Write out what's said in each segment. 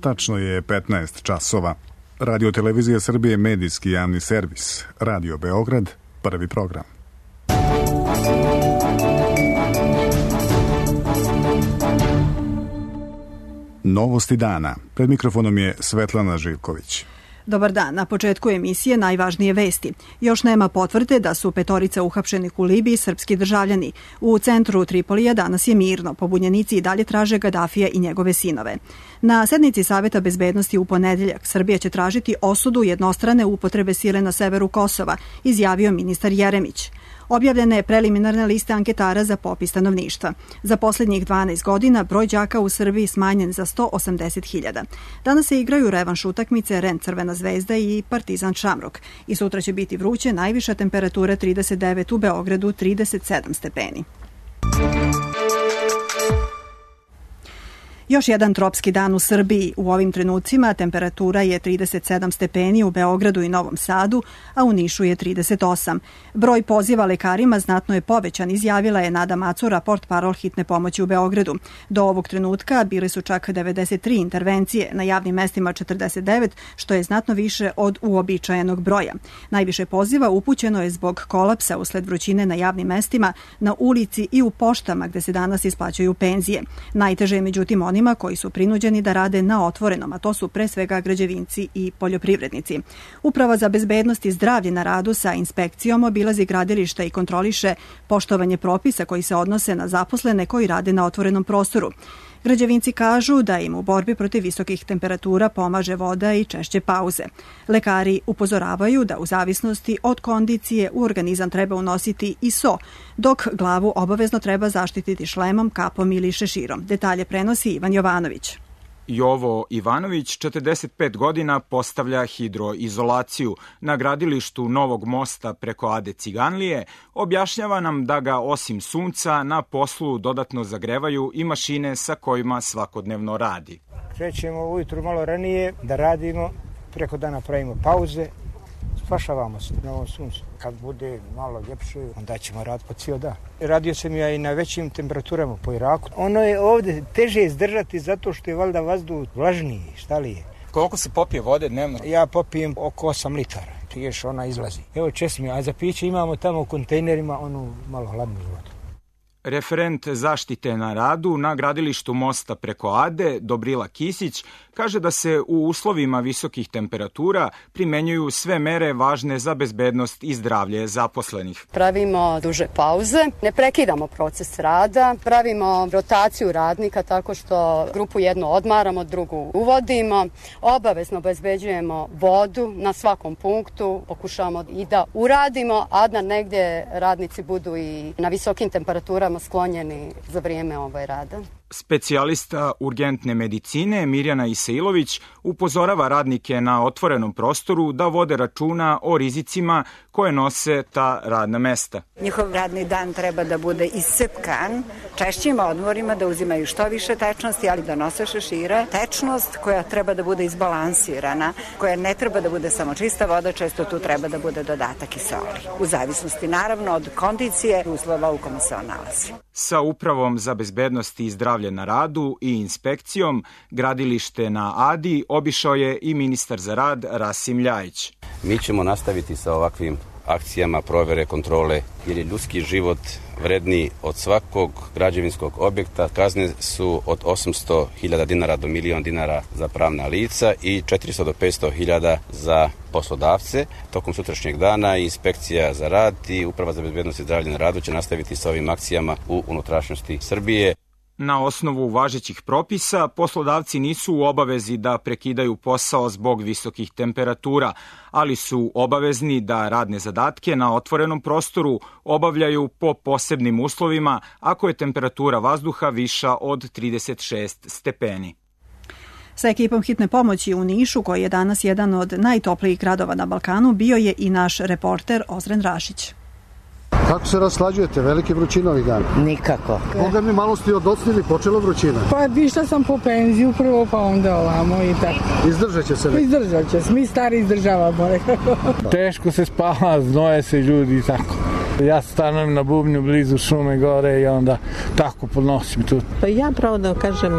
Tačno je 15 časova. Radio Televizija Srbije, medijski javni servis. Radio Beograd, prvi program. Novosti dana. Pred mikrofonom je Svetlana Živković. Dobar dan. Na početku emisije najvažnije vesti. Još nema potvrde da su petorica uhapšenih u Libiji srpski državljani. U centru Tripolija danas je mirno. Pobunjenici i dalje traže Gadafija i njegove sinove. Na sednici Saveta bezbednosti u ponedeljak Srbija će tražiti osudu jednostrane upotrebe sile na severu Kosova, izjavio ministar Jeremić. Objavljena je preliminarna lista anketara za popis stanovništva. Za posljednjih 12 godina broj đaka u Srbiji smanjen za 180.000. Danas se igraju revanš utakmice REN Crvena zvezda i Partizan Šamrok. I sutra će biti vruće, najviša temperatura 39 u Beogradu, 37 stepeni. Još jedan tropski dan u Srbiji. U ovim trenucima temperatura je 37 stepeni u Beogradu i Novom Sadu, a u Nišu je 38. Broj poziva lekarima znatno je povećan, izjavila je Nada Macura, portparol hitne pomoći u Beogradu. Do ovog trenutka bile su čak 93 intervencije, na javnim mestima 49, što je znatno više od uobičajenog broja. Najviše poziva upućeno je zbog kolapsa usled vrućine na javnim mestima, na ulici i u poštama gde se danas isplaćuju penzije. Najteže je međutim onima koji su prinuđeni da rade na otvorenom, a to su pre svega građevinci i poljoprivrednici. Uprava za bezbednost i zdravlje na radu sa inspekcijom obilazi gradilišta i kontroliše poštovanje propisa koji se odnose na zaposlene koji rade na otvorenom prostoru. Građevinci kažu da im u borbi protiv visokih temperatura pomaže voda i češće pauze. Lekari upozoravaju da u zavisnosti od kondicije u organizam treba unositi i so, dok glavu obavezno treba zaštititi šlemom, kapom ili šeširom. Detalje prenosi Ivan Jovanović. Jovo Ivanović, 45 godina, postavlja hidroizolaciju na gradilištu novog mosta preko Ade Ciganlije. Objašnjava nam da ga osim sunca na poslu dodatno zagrevaju i mašine sa kojima svakodnevno radi. Krećemo ujutru malo ranije da radimo, preko dana pravimo pauze, spašavamo se na ovom suncu. Kad bude malo ljepše, onda ćemo raditi po cijel dan. Radio sam ja i na većim temperaturama po Iraku. Ono je ovdje teže izdržati zato što je valjda vazduh vlažniji, šta li je. Koliko se popije vode dnevno? Ja popijem oko 8 litara, još ona izlazi. Evo česmi, a za piće imamo tamo u kontejnerima onu malo hladnu vodu. Referent zaštite na radu na gradilištu mosta preko Ade, Dobrila Kisić, kaže da se u uslovima visokih temperatura primenjuju sve mere važne za bezbednost i zdravlje zaposlenih. Pravimo duže pauze, ne prekidamo proces rada, pravimo rotaciju radnika tako što grupu jednu odmaramo, drugu uvodimo, obavezno obezbeđujemo vodu na svakom punktu, pokušavamo i da uradimo, a da negdje radnici budu i na visokim temperaturama sklonjeni za vrijeme rada. Specijalista urgentne medicine Mirjana Isailović upozorava radnike na otvorenom prostoru da vode računa o rizicima koje nose ta radna mesta. Njihov radni dan treba da bude iscepkan, češćim odmorima, da uzimaju što više tečnosti, ali da nose šešire. Tečnost koja treba da bude izbalansirana, koja ne treba da bude samo čista voda, često tu treba da bude dodatak i soli. U zavisnosti naravno od kondicije i uslova u kome se on nalazi. Sa Upravom za bezbednost i zdravlje na radu i inspekcijom gradilište na Adi obišao je i ministar za rad Rasim Ljajić. Mi ćemo nastaviti sa ovakvim akcijama provere, kontrole, jer je ljudski život vredniji od svakog građevinskog objekta. Kazne su od 800.000 dinara do 1.000.000 dinara za pravna lica i 400 do 500.000 za poslodavce. Tokom sutrašnjeg dana inspekcija za rad i Uprava za bezbednost i zdravlje na radu će nastaviti sa ovim akcijama u unutrašnjosti Srbije. Na osnovu važećih propisa, poslodavci nisu u obavezi da prekidaju posao zbog visokih temperatura, ali su obavezni da radne zadatke na otvorenom prostoru obavljaju po posebnim uslovima ako je temperatura vazduha viša od 36 stepeni. Sa ekipom hitne pomoći u Nišu, koji je danas jedan od najtoplijih gradova na Balkanu, bio je i naš reporter Ozren Rašić. Kako se raslađujete? Velike vrućine ovih dana? Nikako. Boga mi malo ste odocnili, počela vrućina. Pa išla sam po penziju prvo, pa onda ovamo i tako. Izdržat će se li? Izdržat će se, mi stari izdržavamo. Teško se spava, znoje se ljudi i tako. Ja stanujem na bubnju blizu šume gore i onda tako podnosim tu. Pa ja pravo da kažem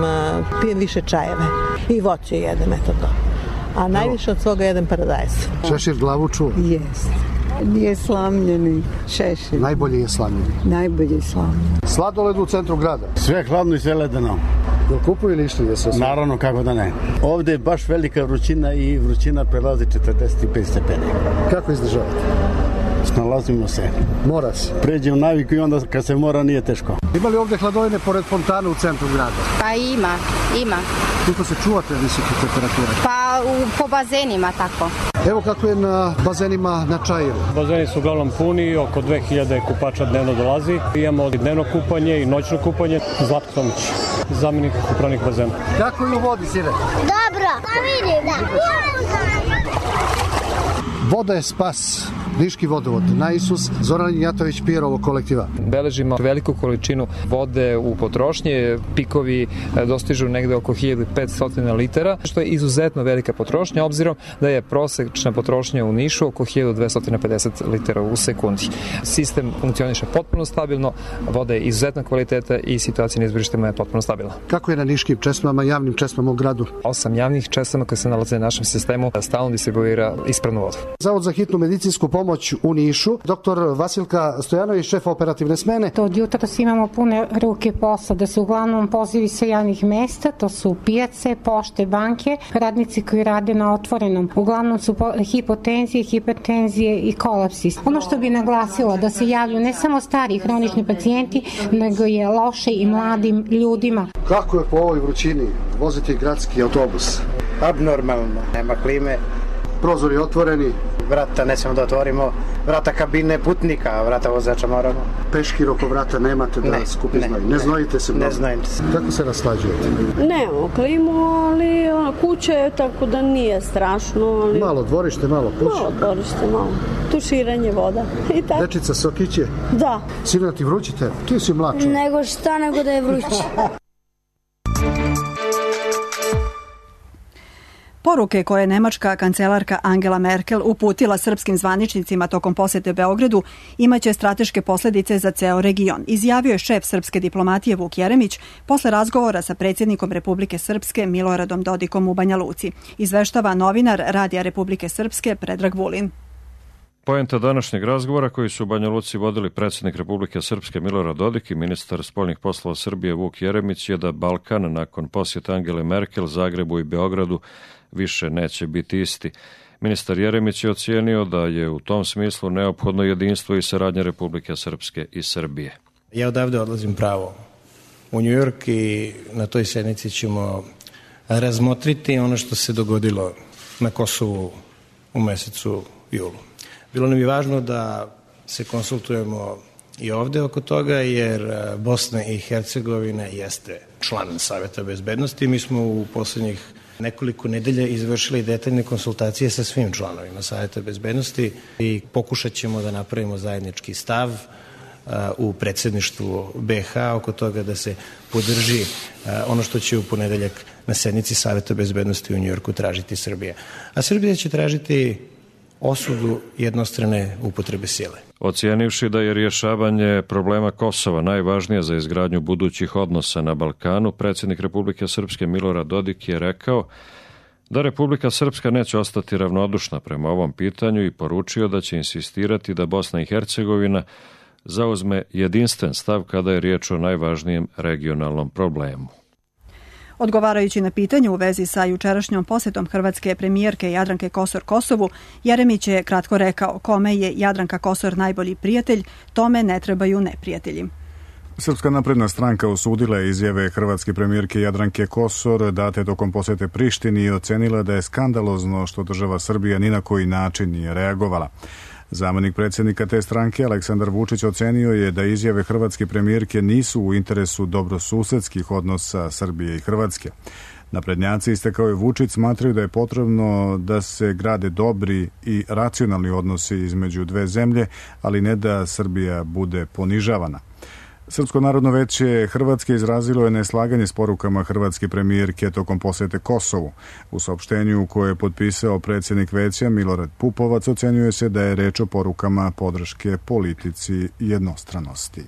pijem više čajeve i voće jedem, eto to. A najviše od svoga jedem paradajz. Šešir glavu čuva? Jest. Nije slamljeni šešir. Najbolji je slamljeni? Najbolji je slamljeni. Sladoled u centru grada? Sve hladno i sve ledeno. Jel kupuju ili išli da se osvijeti? Naravno, kako da ne. Ovde je baš velika vrućina i vrućina prelazi 45 stepeni. Kako izdržavate? Snalazimo se. Mora se. Pređe u naviku i onda kad se mora nije teško. Ima li ovde hladovine pored fontana u centru grada? Pa ima. Kako se čuvate visoke temperature? Pa po bazenima tako. Evo kako je na bazenima na Čajiru. Bazeni su uglavnom puni, oko 2000 kupača dnevno dolazi. Imamo dnevno kupanje i noćno kupanje. Zlatko Tomić, zamenik upravnik bazena. Kako je u vodi, sine? Dobro, pa vidim da. Voda je spas. Niški vodovod, na Isus, Zoran Jatović, Pijerovo kolektiva. Beležimo veliku količinu vode u potrošnji, pikovi dostižu negde oko 1500 litara, što je izuzetno velika potrošnja, obzirom da je prosečna potrošnja u Nišu oko 1250 litara u sekundi. Sistem funkcioniše potpuno stabilno, voda je izuzetna kvaliteta i situacija na izvorištima je potpuno stabilna. Kako je na niškim česmama, javnim česmama u gradu? 8 javnih česama koje se nalaze na našem sistemu stalno distribuira ispravnu vodu. Zavod za hitnu medicinsku pomoć u Nišu, doktor Vasilka Stojanović, šef operativne smene. Od jutros imamo pune ruke posla, da su uglavnom pozivi sa javnih mesta, to su pijace, pošte, banke, radnici koji rade na otvorenom. Uglavnom su hipotenzije, hipertenzije i kolapsi. Ono što bi naglasila da se javljaju ne samo stari hronični pacijenti, nego je loše i mladim ljudima. Kako je po ovoj vrućini voziti gradski autobus? Abnormalno, nema klime. Prozori otvoreni. Vrata ne smemo da otvorimo, vrata kabine putnika, vrata vozača moramo. Peškir oko vrata nemate da skupi znoj. Ne znojite se mnogo. Ne znojite se. Kako se raslađujete? Nemamo klimu, ali kuća je tako da nije strašno. Ali... Malo dvorište, malo kuća. Malo dvorište, malo. Tuširanje voda. I tako. Dečica Sokiće? Da. Sino ti vrućite? Ti si mlačan. Nego šta nego da je vruće. Poruke koje je nemačka kancelarka Angela Merkel uputila srpskim zvaničnicima tokom posete Beogradu imaće strateške posledice za ceo region, izjavio je šef srpske diplomatije Vuk Jeremić posle razgovora sa predsjednikom Republike Srpske Miloradom Dodikom u Banja Luci. Izveštava novinar Radija Republike Srpske Predrag Vulin. Poenta današnjeg razgovora koji su u Banja Luci vodili predsjednik Republike Srpske Milorad Dodik i ministar spoljnih poslova Srbije Vuk Jeremić je da Balkan nakon posjeta Angele Merkel Zagrebu i Beogradu više neće biti isti. Ministar Jeremić je ocijenio da je u tom smislu neophodno jedinstvo i saradnja Republike Srpske i Srbije. Ja odavde odlazim pravo u New York i na toj sednici ćemo razmotriti ono što se dogodilo na Kosovu u mesecu julu. Bilo nam je važno da se konsultujemo i ovde oko toga, jer Bosna i Hercegovina jeste član Saveta bezbednosti. Mi smo u poslednjih nekoliko nedelja izvršili detaljne konsultacije sa svim članovima Saveta bezbednosti i pokušat ćemo da napravimo zajednički stav u predsjedništvu BiH oko toga da se podrži ono što će u ponedeljak na sednici Saveta bezbednosti u Njujorku tražiti Srbija. A Srbija će tražiti osudu jednostrane upotrebe sile. Ocijenivši da je rješavanje problema Kosova najvažnije za izgradnju budućih odnosa na Balkanu, predsjednik Republike Srpske Milorad Dodik je rekao da Republika Srpska neće ostati ravnodušna prema ovom pitanju i poručio da će insistirati da Bosna i Hercegovina zauzme jedinstven stav kada je riječ o najvažnijem regionalnom problemu. Odgovarajući na pitanje u vezi sa jučerašnjom posjetom hrvatske premijerke Jadranke Kosor Kosovu, Jeremić je kratko rekao: kome je Jadranka Kosor najbolji prijatelj, tome ne trebaju neprijatelji. Srpska napredna stranka osudila je izjave hrvatske premijerke Jadranke Kosor date tokom posjete Prištini i ocenila da je skandalozno što država Srbija ni na koji način nije reagovala. Zamenik predsjednika te stranke Aleksandar Vučić ocenio je da izjave hrvatske premijerke nisu u interesu dobrosusedskih odnosa Srbije i Hrvatske. Naprednjaci, istakao je Vučić, smatraju da je potrebno da se grade dobri i racionalni odnosi između dve zemlje, ali ne da Srbija bude ponižavana. Srpsko narodno veće Hrvatske izrazilo je neslaganje s porukama hrvatske premijerke tokom posete Kosovu. U saopštenju koje je potpisao predsjednik veća Milorad Pupovac ocenjuje se da je reč o porukama podrške politici jednostranosti.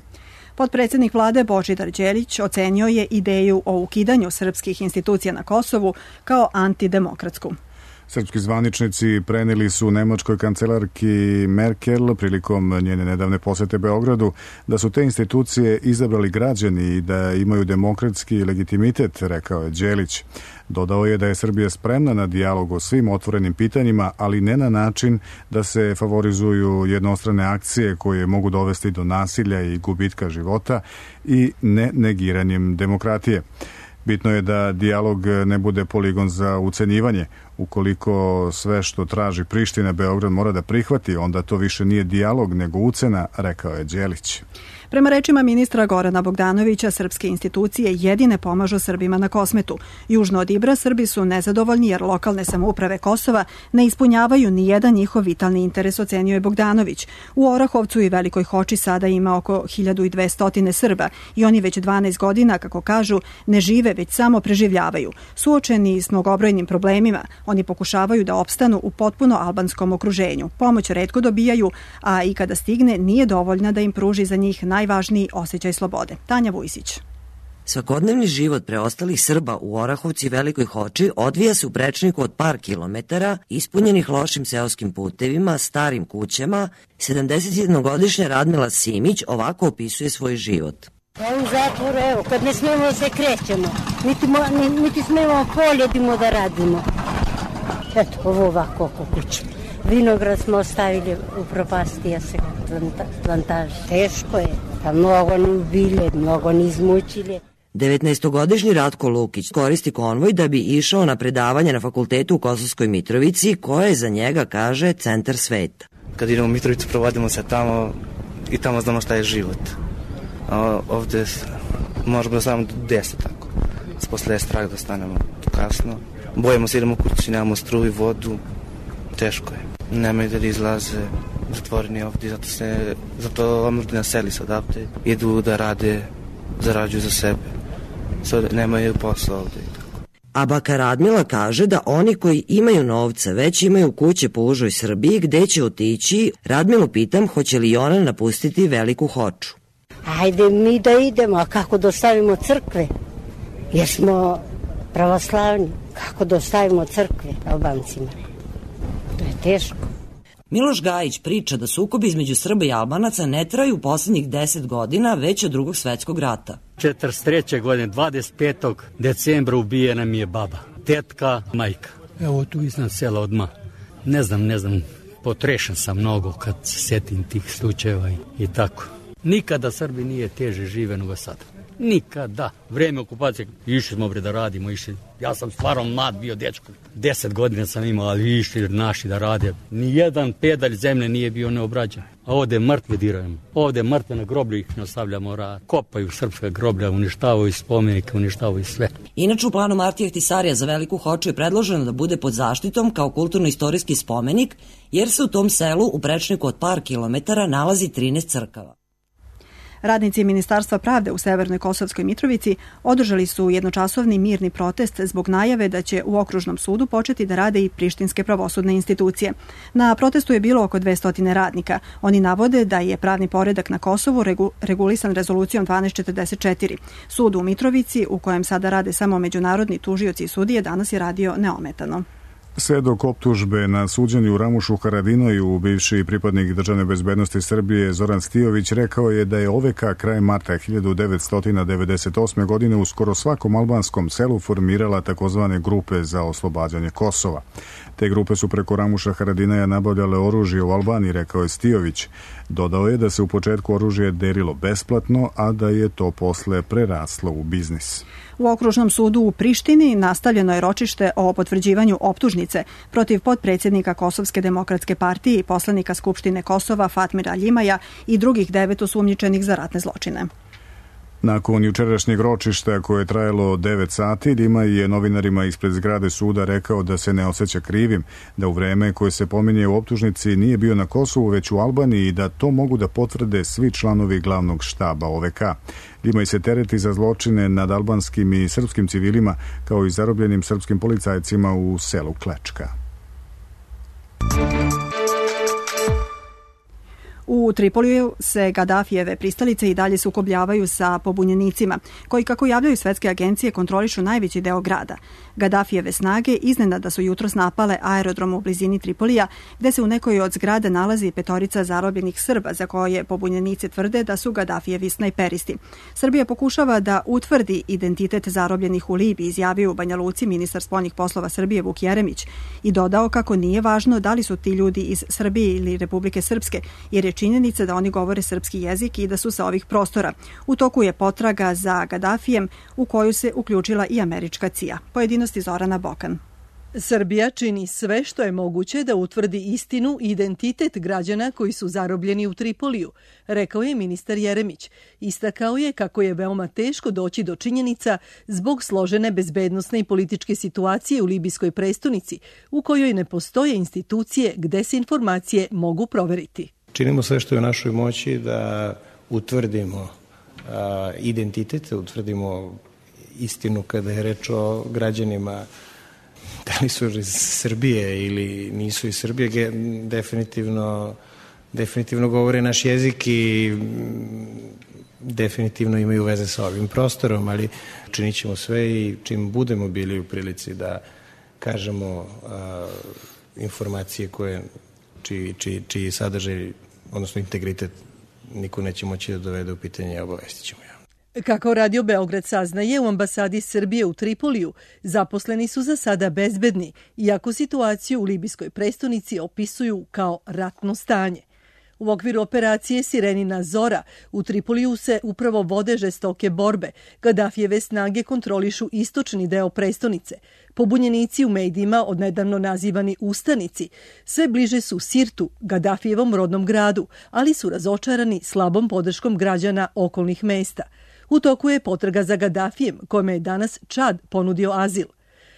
Potpredsjednik vlade Božidar Đelić ocenio je ideju o ukidanju srpskih institucija na Kosovu kao antidemokratsku. Srpski zvaničnici prenijeli su nemačkoj kancelarki Merkel prilikom njene nedavne posete Beogradu da su te institucije izabrali građani i da imaju demokratski legitimitet, rekao je Đelić. Dodao je da je Srbija spremna na dijalog o svim otvorenim pitanjima, ali ne na način da se favorizuju jednostrane akcije koje mogu dovesti do nasilja i gubitka života i ne negiranjem demokratije. Bitno je da dijalog ne bude poligon za ucenjivanje. Ukoliko sve što traži Priština Beograd mora da prihvati, onda to više nije dijalog nego ucena, rekao je Đelić. Prema rečima ministra Gorana Bogdanovića, srpske institucije jedine pomažu Srbima na Kosmetu. Južno od Ibra Srbi su nezadovoljni jer lokalne samouprave Kosova ne ispunjavaju ni jedan njihov vitalni interes, ocenio je Bogdanović. U Orahovcu i Velikoj Hoči sada ima oko 1200 Srba i oni već 12 godina, kako kažu, ne žive, već samo preživljavaju. Suočeni s mnogobrojnim problemima, oni pokušavaju da opstanu u potpuno albanskom okruženju. Pomoć retko dobijaju, a i kada stigne nije dovoljna da im pruži za njih najvažniji osjećaj slobode. Tanja Vujsić. Svakodnevni život preostalih Srba u Orahovcu i Velikoj Hoči odvija se u prečniku od par kilometara, ispunjenih lošim seoskim putevima, starim kućama. 71-godišnja Radmila Simić ovako opisuje svoj život. U zatvoru, evo, kad ne smemo se krećemo, niti smemo poljedimo da radimo. Eto, ovo ovako oko kuće. Vinograd smo ostavili u propastija se plantaže. Teško je, pa mnogo ni ubile, mnogo ni izmučile. 19-godišnji Ratko Lukić koristi konvoj da bi išao na predavanje na fakultetu u Kosovskoj Mitrovici, koje je za njega, kaže, centar sveta. Kad idemo u Mitrovicu, provodimo se tamo i tamo znamo šta je život. A ovde možemo da stavimo 10 tako. Posle je strah da stanemo kasno. Bojimo se, idemo kući, nemamo struju, vodu. Teško je. Nemaju da izlaze, zatvoreni ovdje, zato omladina seli se odavde. Idu da rade, zarađuju za sebe. Nemaju posao ovdje. A baka Radmila kaže da oni koji imaju novca već imaju kuće po užoj Srbiji gde će otići. Radmilu pitam hoće li ona napustiti Veliku Hoču. Ajde mi da idemo, a kako dostavimo crkve? Jer smo pravoslavni. Kako dostavimo crkve Albancima? To je teško. Miloš Gajić priča da sukobi između Srba i Albanaca ne traju u posljednjih 10 godina, već od Drugog svetskog rata. 43. godine, 25. decembra ubijena mi je baba, tetka, majka. Evo tu iznad sela odmah. Ne znam, potrešan sam mnogo kad se setim tih slučajeva i tako. Nikada Srbi nije teže žive nego sada. Nikada. Vreme okupacije, išli smo da radimo, ja sam stvarno mlad bio dečko. 10 godina sam imao, ali išli naši da rade. Nijedan pedalj zemlje nije bio neobrađen. A ovde mrtve dirajemo. Ovde mrtve na groblju ih nastavljamo rad. Kopaju srpska groblja, uništavaju spomenike, uništavaju sve. Inače u planu Martija Ahtisarija za Veliku Hoču je predloženo da bude pod zaštitom kao kulturno-istorijski spomenik, jer se u tom selu u prečniku od par kilometara nalazi 13 crkava. Radnici Ministarstva pravde u Severnoj Kosovskoj Mitrovici održali su jednočasovni mirni protest zbog najave da će u okružnom sudu početi da rade i prištinske pravosudne institucije. Na protestu je bilo oko 200 radnika. Oni navode da je pravni poredak na Kosovu regulisan rezolucijom 1244. Sud u Mitrovici, u kojem sada rade samo međunarodni tužioci i sudije, danas je radio neometano. Svedok optužbe na suđenju u Ramušu Haradinoju, bivši pripadnik državne bezbednosti Srbije Zoran Stijović rekao je da je OVK krajem marta 1998. godine u skoro svakom albanskom selu formirala takozvane grupe za oslobađanje Kosova. Te grupe su preko Ramuša Haradinaja nabavljale oružje u Albaniji, rekao je Stijović. Dodao je da se u početku oružje delilo besplatno, a da je to posle preraslo u biznis. U okružnom sudu u Prištini nastavljeno je ročište o potvrđivanju optužnice protiv potpredsjednika Kosovske demokratske partije i poslanika Skupštine Kosova Fatmira Ljimaja i drugih 9 osumnjičenih za ratne zločine. Nakon jučerašnjeg ročišta koje je trajalo 9 sati, Dima je novinarima ispred zgrade suda rekao da se ne osjeća krivim, da u vreme koje se pominje u optužnici nije bio na Kosovu već u Albaniji i da to mogu da potvrde svi članovi glavnog štaba OVK. Dima se tereti za zločine nad albanskim i srpskim civilima kao i zarobljenim srpskim policajcima u selu Klečka. U Tripoliju se Gadafijeve pristalice i dalje sukobljavaju sa pobunjenicima, koji, kako javljaju svetske agencije, kontrolišu najveći deo grada. Gadafijeve snage iznenada su jutros napale aerodrom u blizini Tripolija, gde se u nekoj od zgrada nalazi 5 zarobljenih Srba, za koje pobunjenici tvrde da su Gadafijevi snajperisti. Srbija pokušava da utvrdi identitet zarobljenih u Libiji, izjavio u Banja Luci ministar spoljnih poslova Srbije Vuk Jeremić i dodao kako nije važno da li su ti ljudi iz Srbije ili Republike Srpske, jer je činjenica da oni govore srpski jezik i da su sa ovih prostora. U toku je potraga za Gadafijem, u koju se uključila i američka CIA. Pojedinosti Zorana Bokan. Srbija čini sve što je moguće da utvrdi istinu i identitet građana koji su zarobljeni u Tripoliju, rekao je ministar Jeremić. Istakao je kako je veoma teško doći do činjenica zbog složene bezbednosne i političke situacije u libijskoj prestonici, u kojoj ne postoje institucije gde se informacije mogu proveriti. Činimo sve što je u našoj moći da utvrdimo identitet, utvrdimo istinu kada je reč o građanima, da li su iz Srbije ili nisu iz Srbije, definitivno govore naš jezik i definitivno imaju veze sa ovim prostorom, ali činit ćemo sve i čim budemo bili u prilici da kažemo informacije čiji sadržaj, odnosno integritet, niko neće moći da dovede u pitanje i obavestit ćemo javno. Kako Radio Beograd saznaje, u ambasadi Srbije u Tripoliju zaposleni su za sada bezbedni, iako situaciju u libijskoj prestonici opisuju kao ratno stanje. U okviru operacije Sirenina Zora u Tripoliju se upravo vode žestoke borbe. Gadafijeve snage kontrolišu istočni deo prestonice. Pobunjenici u medijima, odnedavno nazivani ustanici, sve bliže su Sirtu, Gadafijevom rodnom gradu, ali su razočarani slabom podrškom građana okolnih mesta. U toku je potraga za Gadafijem, kome je danas Čad ponudio azil.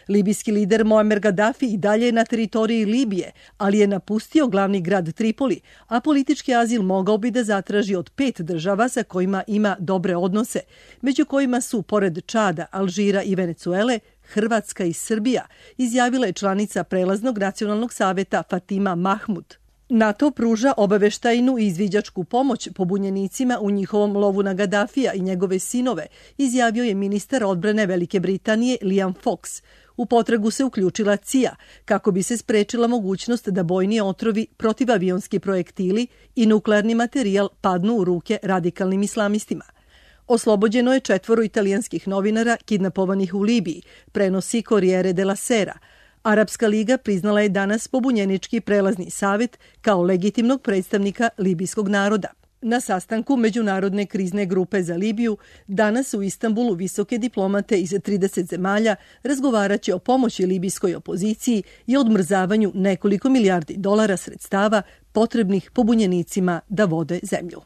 Libijski lider Muammar Gaddafi i dalje je na teritoriji Libije, ali je napustio glavni grad Tripoli, a politički azil mogao bi da zatraži od 5 država sa kojima ima dobre odnose, među kojima su, pored Čada, Alžira i Venecuele, Hrvatska i Srbija, izjavila je članica Prelaznog nacionalnog saveta Fatima Mahmud. NATO pruža obaveštajnu i izviđačku pomoć pobunjenicima u njihovom lovu na Gaddafija i njegove sinove, izjavio je ministar odbrane Velike Britanije Liam Fox. U potragu se uključila CIA kako bi se sprečila mogućnost da bojni otrovi, protivavionski projektili i nuklearni materijal padnu u ruke radikalnim islamistima. Oslobođeno je 4 italijanskih novinara kidnapovanih u Libiji, prenosi Corriere della Sera. Arapska liga priznala je danas pobunjenički prelazni savet kao legitimnog predstavnika libijskog naroda. Na sastanku Međunarodne krizne grupe za Libiju danas u Istanbulu visoke diplomate iz 30 zemalja razgovaraće o pomoći libijskoj opoziciji i odmrzavanju nekoliko milijardi dolara sredstava potrebnih pobunjenicima da vode zemlju.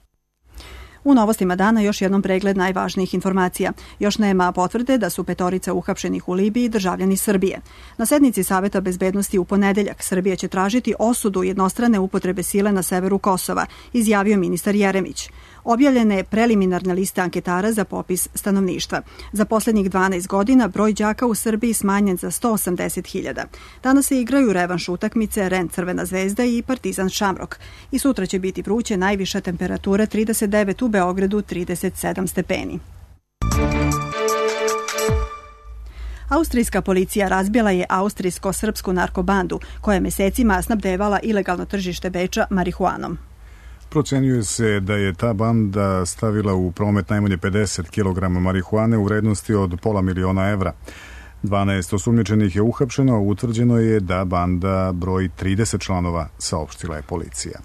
U novostima dana još jednom pregled najvažnijih informacija. Još nema potvrde da su 5 uhapšenih u Libiji državljani Srbije. Na sednici Saveta bezbednosti u ponedeljak Srbija će tražiti osudu jednostrane upotrebe sile na severu Kosova, izjavio ministar Jeremić. Objavljene je preliminarne liste anketara za popis stanovništva. Za posljednjih 12 godina broj đaka u Srbiji smanjen za 180.000. Danas se igraju revanš utakmice REN Crvena zvezda i Partizan Šamrok. I sutra će biti vruće, najviša temperatura 39 u Beogradu, 37 stepeni. Austrijska policija razbila je austrijsko-srpsku narkobandu koja je mesecima snabdevala ilegalno tržište Beča marihuanom. Procenjuje se da je ta banda stavila u promet najmanje 50 kg marihuane u vrednosti od $500.000 evra. 12 osumnjičenih je uhapšeno, a utvrđeno je da banda broji 30 članova, saopštila je policija.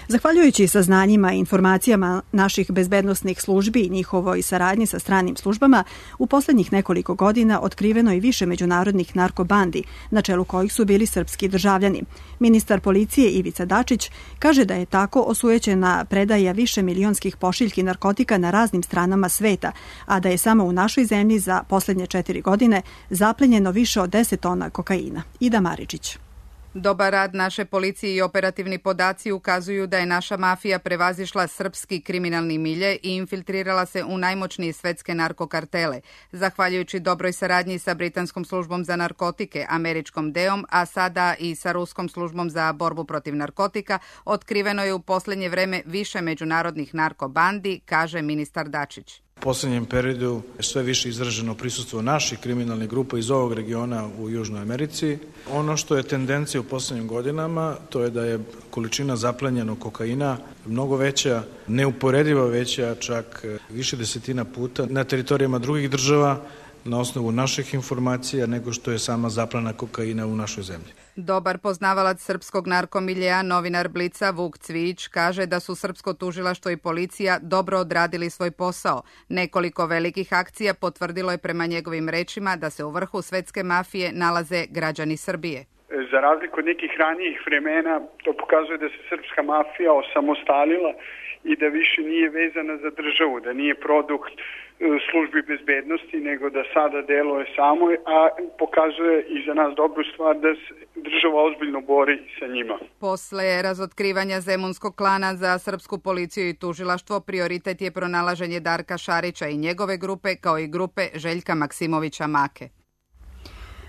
Zahvaljujući saznanjima i informacijama naših bezbednosnih službi i njihovoj saradnji sa stranim službama, u poslednjih nekoliko godina otkriveno je više međunarodnih narkobandi, na čelu kojih su bili srpski državljani. Ministar policije Ivica Dačić kaže da je tako osujećena predaja više milionskih pošiljki narkotika na raznim stranama sveta, a da je samo u našoj zemlji za poslednje 4 godine zaplenjeno više od 10 tona kokaina. Ida Maričić. Dobar rad naše policije i operativni podaci ukazuju da je naša mafija prevazišla srpski kriminalni milje i infiltrirala se u najmoćnije svetske narkokartele. Zahvaljujući dobroj saradnji sa Britanskom službom za narkotike, američkom DEA-om, a sada i sa Ruskom službom za borbu protiv narkotika, otkriveno je u poslednje vreme više međunarodnih narkobandi, kaže ministar Dačić. U poslednjem periodu je sve više izraženo prisustvo naših kriminalnih grupa iz ovog regiona u Južnoj Americi. Ono što je tendencija u poslednjim godinama, to je da je količina zaplenjenog kokaina mnogo veća, neuporedivo veća, čak više desetina puta na teritorijama drugih država na osnovu naših informacija nego što je sama zaplena kokaina u našoj zemlji. Dobar poznavalac srpskog narkomiljeja, novinar Blica Vuk Cvijić, kaže da su srpsko tužilaštvo i policija dobro odradili svoj posao. Nekoliko velikih akcija potvrdilo je prema njegovim rečima da se u vrhu svetske mafije nalaze građani Srbije. Za razliku od nekih ranijih vremena, to pokazuje da se srpska mafija osamostalila i da više nije vezana za državu, da nije produkt službi bezbednosti, nego da sada deluje samo, a pokazuje i za nas dobru stvar da se država ozbiljno bori sa njima. Posle razotkrivanja zemunskog klana za srpsku policiju i tužilaštvo, prioritet je pronalaženje Darka Šarića i njegove grupe, kao i grupe Željka Maksimovića Make.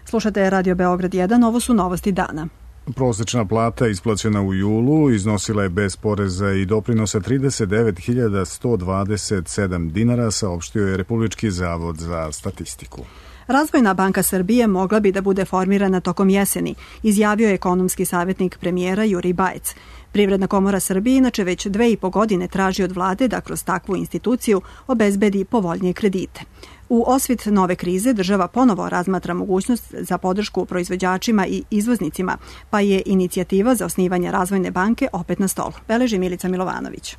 Slušate Radio Beograd 1, ovo su novosti dana. Prosečna plata isplaćena u julu iznosila je bez poreza i doprinosa 39.127 dinara, saopštio je Republički zavod za statistiku. Razvojna banka Srbije mogla bi da bude formirana tokom jeseni, izjavio je ekonomski savjetnik premijera Juri Bajec. Privredna komora Srbije inače već 2,5 godine traži od vlade da kroz takvu instituciju obezbedi povoljnije kredite. U osvit nove krize država ponovo razmatra mogućnost za podršku proizvođačima i izvoznicima, pa je inicijativa za osnivanje Razvojne banke opet na stolu. Beleži Milica Milovanović.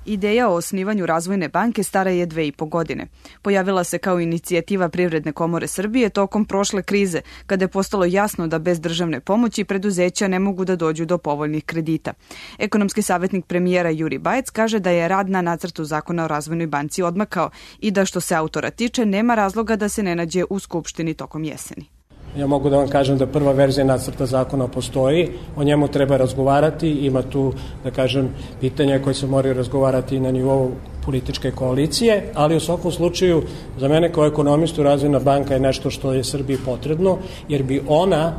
Ideja o osnivanju Razvojne banke stara je 2,5 godine. Pojavila se kao inicijativa Privredne komore Srbije tokom prošle krize, kada je postalo jasno da bez državne pomoći preduzeća ne mogu da dođu do povoljnih kredita. Ekonomski savjetnik premijera Juri Bajec kaže da je rad na nacrtu zakona o Razvojnoj banci odmakao i da što se autora tiče nema razloga da se ne nađe u Skupštini tokom jeseni. Ja mogu da vam kažem da prva verzija nacrta zakona postoji, o njemu treba razgovarati, ima tu, da kažem, pitanja koje se moraju razgovarati na nivou političke koalicije, ali u svakom slučaju za mene kao ekonomistu Razvojna banka je nešto što je Srbiji potrebno, jer bi ona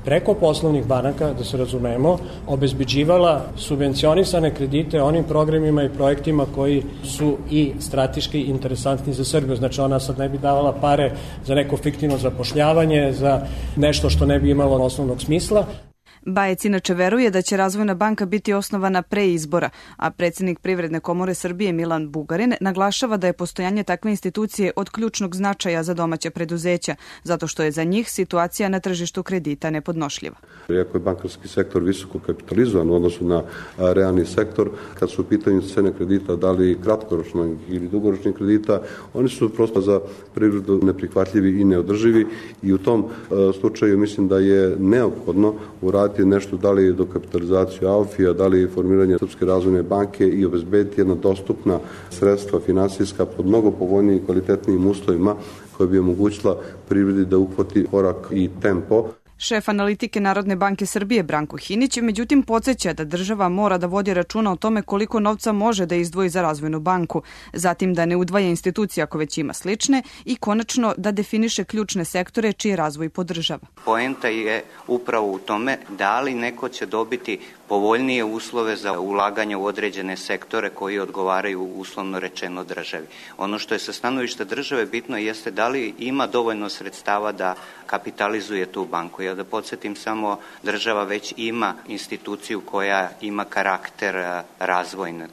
preko poslovnih banaka, da se razumemo, obezbeđivala subvencionisane kredite onim programima i projektima koji su i strateški interesantni za Srbiju. Znači ona sad ne bi davala pare za neko fiktivno zapošljavanje, za nešto što ne bi imalo osnovnog smisla. Bajec inače veruje da će Razvojna banka biti osnovana pre izbora, a predsjednik Privredne komore Srbije Milan Bugarin naglašava da je postojanje takve institucije od ključnog značaja za domaća preduzeća, zato što je za njih situacija na tržištu kredita nepodnošljiva. Iako je bankarski sektor visoko kapitalizovan u odnosu na realni sektor, kad su u pitanju cene kredita, da li kratkoročnog ili dugoročnih kredita, oni su prosto za privredu neprihvatljivi i neodrživi i u tom slučaju mislim da je neophodno uraditi nešto, da li dokapitalizaciju AOFI-a, da li formiranje Srpske razvojne banke i obezbediti jedna dostupna sredstva finansijska pod mnogo povoljnijim i kvalitetnijim uslovima koja bi omogućila privredi da uhvati korak i tempo. Šef analitike Narodne banke Srbije Branko Hinić međutim podsjeća da država mora da vodi računa o tome koliko novca može da izdvoji za Razvojnu banku, zatim da ne udvaja institucije ako već ima slične i konačno da definiše ključne sektore čiji razvoj podržava. Poenta je upravo u tome da li neko će dobiti povoljnije uslove za ulaganje u određene sektore koji odgovaraju uslovno rečeno državi. Ono što je sa stanovišta države bitno jeste da li ima dovoljno sredstava da kapitalizuje tu banku. jer da podsjetim samo, država već ima instituciju koja ima karakter razvojne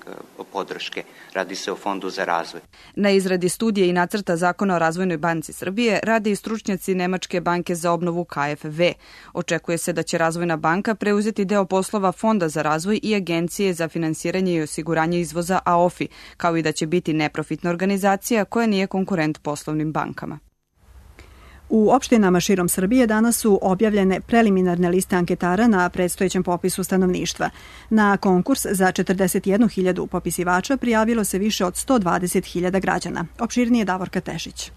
podrške. Radi se o Fondu za razvoj. Na izradi studije i nacrta zakona o Razvojnoj banci Srbije rade i stručnjaci Nemačke banke za obnovu KfW. Očekuje se da će Razvojna banka preuzeti deo poslova Fonda za razvoj i Agencije za finansiranje i osiguranje izvoza AOFI, kao i da će biti neprofitna organizacija koja nije konkurent poslovnim bankama. U opštinama širom Srbije danas su objavljene preliminarne liste anketara na predstojećem popisu stanovništva. Na konkurs za 41.000 popisivača prijavilo se više od 120.000 građana. Opširnije Davorka Tešić.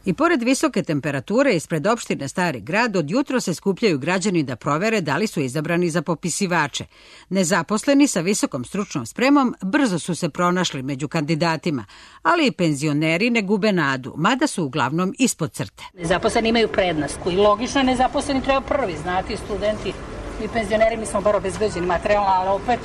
I pored visoke temperature ispred opštine Stari grad od jutro se skupljaju građani da provere da li su izabrani za popisivače. Nezaposleni sa visokom stručnom spremom brzo su se pronašli među kandidatima, ali i penzioneri ne gube nadu, mada su uglavnom ispod crte. Nezaposleni imaju prednost. I logično nezaposleni treba prvi, znati, studenti. Mi penzioneri, mi smo bar obezbeđeni materijalno, ali opet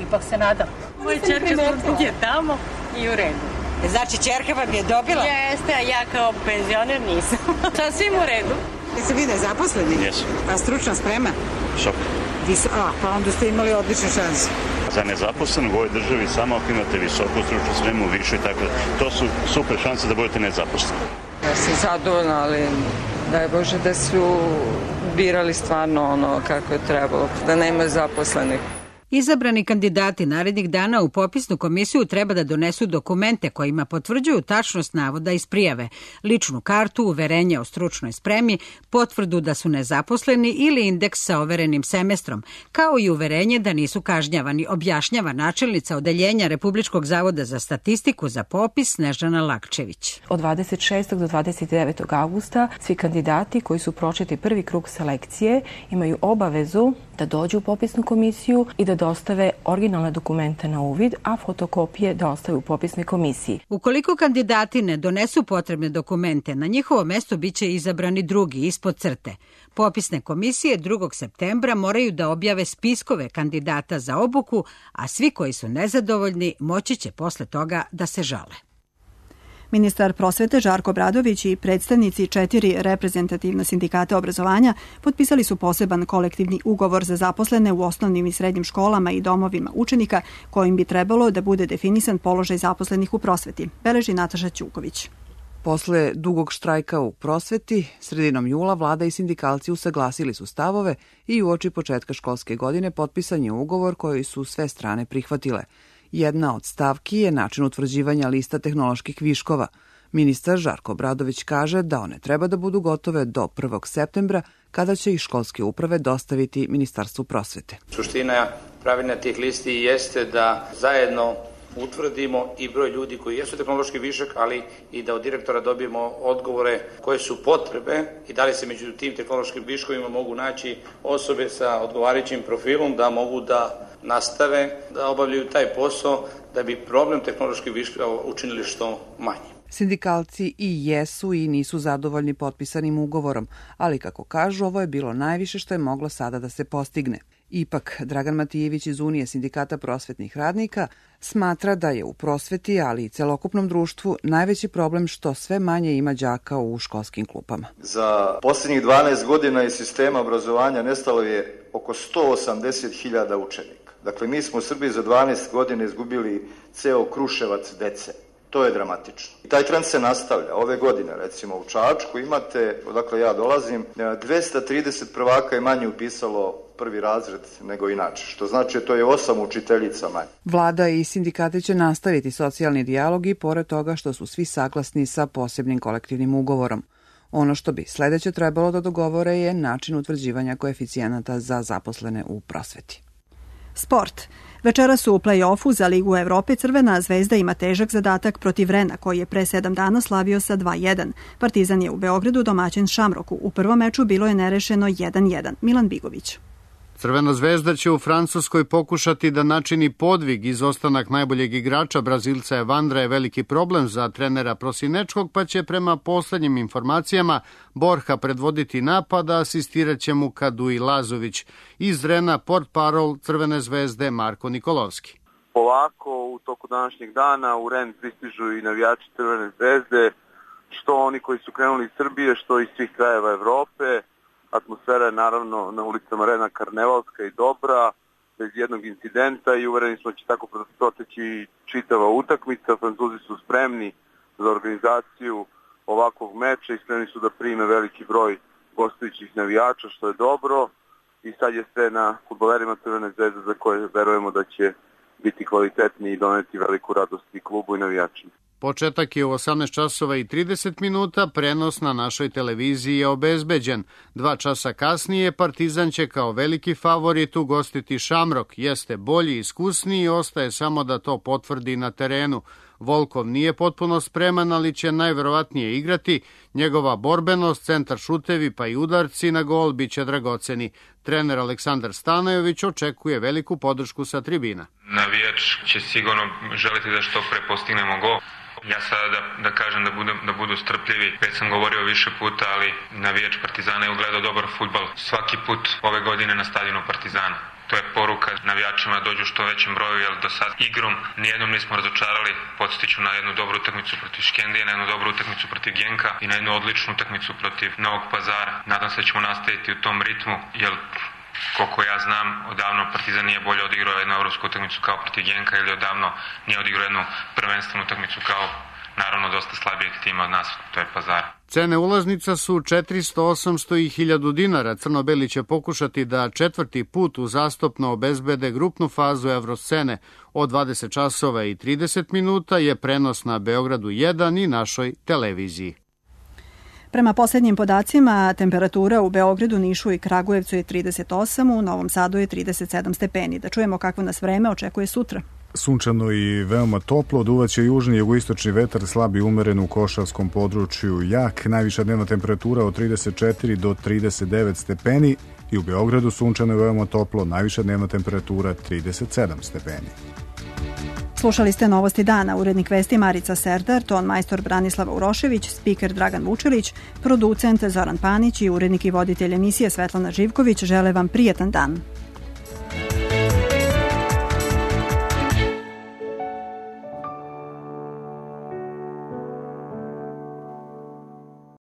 ipak se nadam. Moja čerka je tamo i u redu. Znači, čerka vam je dobila? Jeste, a ja kao penzioner nisam. Sasvim u redu. Jeste vi nezaposleni? Jesu. A stručna sprema? Visok. Pa onda ste imali odlične šanse. Za nezaposlenog u ovoj državi samo ako imate visoku stručnu spremu, više i tako. To su super šanse da budete nezaposleni. Ja sam zadovoljna, ali daj Bože da su birali stvarno ono kako je trebalo, da nema zaposlenih. Izabrani kandidati narednih dana u popisnu komisiju treba da donesu dokumente kojima potvrđuju tačnost navoda iz prijave, ličnu kartu, uverenje o stručnoj spremi, potvrdu da su nezaposleni ili indeks sa overenim semestrom, kao i uverenje da nisu kažnjavani, objašnjava načelnica Odeljenja Republičkog zavoda za statistiku za popis Snežana Lakčević. Od 26. do 29. augusta svi kandidati koji su prošli prvi krug selekcije imaju obavezu da dođu u popisnu komisiju i da dostave originalne dokumente na uvid, a fotokopije da ostave u popisnoj komisiji. Ukoliko kandidati ne donesu potrebne dokumente, na njihovo mesto biće izabrani drugi ispod crte. Popisne komisije 2. septembra moraju da objave spiskove kandidata za obuku, a svi koji su nezadovoljni moći će posle toga da se žale. Ministar prosvete Žarko Obradović i predstavnici 4 reprezentativna sindikata obrazovanja potpisali su poseban kolektivni ugovor za zaposlene u osnovnim i srednjim školama i domovima učenika, kojim bi trebalo da bude definisan položaj zaposlenih u prosveti, beleži Nataša Ćuković. Posle dugog štrajka u prosveti, sredinom jula vlada i sindikalci usaglasili su stavove i uoči početka školske godine potpisan je ugovor koji su sve strane prihvatile. Jedna od stavki je način utvrđivanja lista tehnoloških viškova. Ministar Žarko Obradović kaže da one treba da budu gotove do 1. septembra, kada će ih školske uprave dostaviti Ministarstvu prosvete. Suština pravilna tih listi jeste da zajedno utvrdimo i broj ljudi koji jesu tehnološki višak, ali i da od direktora dobijemo odgovore koje su potrebe i da li se među tim tehnološkim viškovima mogu naći osobe sa odgovarajućim profilom da mogu da nastave da obavljaju taj posao da bi problem tehnoloških viškova učinili što manji. Sindikalci i jesu i nisu zadovoljni potpisanim ugovorom, ali kako kažu, ovo je bilo najviše što je moglo sada da se postigne. Ipak, Dragan Matijević iz Unije sindikata prosvetnih radnika smatra da je u prosveti, ali i celokupnom društvu, najveći problem što sve manje ima đaka u školskim klupama. Za posljednjih 12 godina iz sistema obrazovanja nestalo je oko 180.000 učenika. Dakle, mi smo u Srbiji za 12 godina izgubili ceo Kruševac dece. To je dramatično. I taj trend se nastavlja. Ove godine, recimo u Čačku imate, odakle ja dolazim, 230 prvaka je manje upisalo prvi razred nego inače, što znači to je 8 učiteljica manje. Vlada i sindikati će nastaviti socijalni dijalog i pored toga što su svi saglasni sa posebnim kolektivnim ugovorom. Ono što bi sledeće trebalo da dogovore je način utvrđivanja koeficijenata za zaposlene u prosveti. Sport. Večeras u play-offu za Ligu Evrope Crvena zvezda ima težak zadatak protiv Rena, koji je pre 7 dana slavio sa 2-1. Partizan je u Beogradu domaćin Šamroku. U prvom meču bilo je nerešeno 1-1. Milan Bigović. Crvena zvezda će u Francuskoj pokušati da načini podvig. Izostanak najboljeg igrača Brazilca Evandra je veliki problem za trenera Prosinečkog, pa će prema poslednjim informacijama Borja predvoditi napad, a asistirat će mu Kadu i Lazović. Iz Rena portparol Crvene zvezde Marko Nikolovski. Polako u toku današnjeg dana u Ren pristižu i navijači Crvene zvezde, što oni koji su krenuli iz Srbije, što iz svih krajeva Evrope. Atmosfera je naravno na ulicama Rena karnevalska i dobra, bez jednog incidenta i uvereni smo da će tako proteći čitava utakmica. Francuzi su spremni za organizaciju ovakvog meča i spremni su da prime veliki broj gostujućih navijača, što je dobro. I sad je sve na fudbalerima Crvene zvezde za koje verujemo da će biti kvalitetni i doneti veliku radost i klubu i navijačima. Početak je u 18 časova i 30 minuta, prenos na našoj televiziji je obezbeđen. 2 časa kasnije Partizan će kao veliki favorit ugostiti Šamrok. Jeste bolji i iskusniji, ostaje samo da to potvrdi na terenu. Volkov nije potpuno spreman, ali će najverovatnije igrati. Njegova borbenost, centar šutevi pa i udarci na gol biće dragoceni. Trener Aleksandar Stanojević očekuje veliku podršku sa tribina. Navijač će sigurno želiti da što pre postignemo gol. Ja sada da kažem da budu strpljivi, već sam govorio više puta, ali navijač Partizana je ugledao dobar fudbal svaki put ove godine na stadionu Partizana. To je poruka navijačima da dođu što većem broju, jer do sad igrom nijednom nismo razočarali. Podsjetiću na jednu dobru utakmicu protiv Škendije, na jednu dobru utakmicu protiv Genka i na jednu odličnu utakmicu protiv Novog Pazara. Nadam se da ćemo nastaviti u tom ritmu, jer koliko ja znam, odavno Partizan nije bolje odigrao jednu evropsku utakmicu kao protiv Genka ili odavno nije odigrao jednu prvenstvenu utakmicu kao naravno dosta slabijeg tima od nas, to je Pazar. Cene ulaznica su 400, 800 i 1000 dinara. Crno-beli će pokušati da 4. put uzastopno obezbede grupnu fazu Evroscene. Od 20 časova i 30 minuta je prenos na Beogradu 1 i našoj televiziji. Prema posljednjim podacima, temperatura u Beogradu, Nišu i Kragujevcu je 38, u Novom Sadu je 37 stepeni. Da čujemo kako nas vreme očekuje sutra. Sunčano i veoma toplo, duvaće južni i jugoistočni vetar, slab i umeren u Košavskom području jak, najviša dnevna temperatura od 34 do 39 stepeni i u Beogradu sunčano i veoma toplo, najviša dnevna temperatura 37 stepeni. Slušali ste Novosti dana, urednik vesti Marica Serdar, ton majstor Branislava Urošević, spiker Dragan Vučilić, producent Zoran Panić i urednik i voditelj emisije Svetlana Živković žele vam prijetan dan.